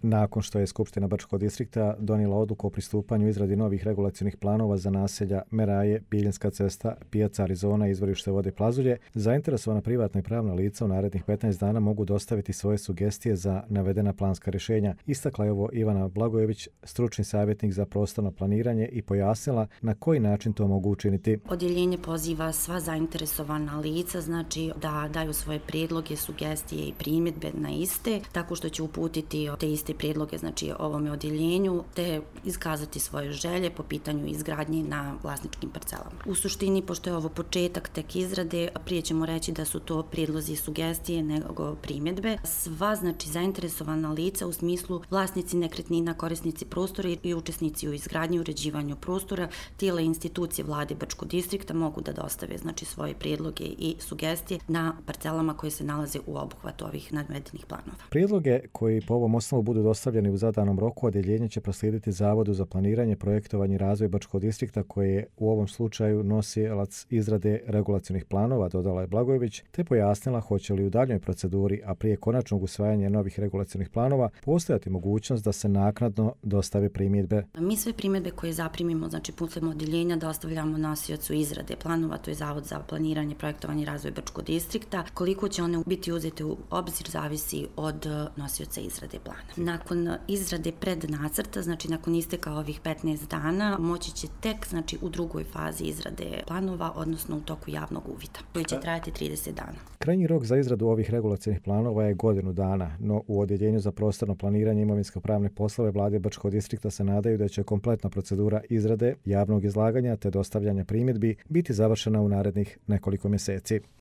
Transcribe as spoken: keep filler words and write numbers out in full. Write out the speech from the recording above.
Nakon što je Skupština Brčkog distrikta donijela odluku o pristupanju izradi novih regulacionih planova za naselja Meraje, Biljinska cesta, Pijaca Arizona i izvorište vode Plazulje, zainteresovana privatna i pravna lica u narednih petnaest dana mogu dostaviti svoje sugestije za navedena planska rješenja. Istakla je ovo Ivana Blagojević, stručni savjetnik za prostorno planiranje, i pojasnila na koji način to mogu učiniti. Odjeljenje poziva sva zainteresovana lica, znači da daju svoje prijedloge, sugestije i primjedbe na iste, tako što će uputiti te iste prijedloge znači ovome odjeljenju te iskazati svoje želje po pitanju izgradnje na vlasničkim parcelama. U suštini, pošto je ovo početak tek izrade, prije ćemo reći da su to prijedlozi i sugestije nego primjedbe. Sva znači zainteresovana lica u smislu vlasnici nekretnina, korisnici prostora i učesnici u izgradnji i uređivanju prostora, tijela i institucije vlade Brčkog distrikta mogu da dostave znači svoje prijedloge i sugestije na parcelama koje se nalaze u obuhvatu ovih navedenih planova. Prijedloge koji po ovom osnovu budu dostavljeni u zadanom roku, odjeljenje će proslijediti Zavodu za planiranje, projektovanje i razvoj Brčkog distrikta, koji je u ovom slučaju nosilac izrade regulacionih planova, dodala je Blagojević, te pojasnila hoće li u daljnjoj proceduri, a prije konačnog usvajanja novih regulacionih planova, postojati mogućnost da se naknadno dostave primjedbe. Mi sve primjedbe koje zaprimimo, znači putem odjeljenja, dostavljamo nosiocu izrade planova, to je Zavod za planiranje, projektovanje i razvoj Brčkog distrikta. Koliko će one biti uzete u obzir zavisi od nosioca izrade plana. Nakon izrade prednacrta, znači nakon isteka ovih petnaest dana, moći će tek znači u drugoj fazi izrade planova, odnosno u toku javnog uvida, koji će trajati trideset dana. Krajnji rok za izradu ovih regulacionih planova je godinu dana, no u Odjeljenju za prostorno planiranje i imovinsko-pravne poslove vlade Brčkog distrikta se nadaju da će kompletna procedura izrade, javnog izlaganja te dostavljanja primjedbi biti završena u narednih nekoliko mjeseci.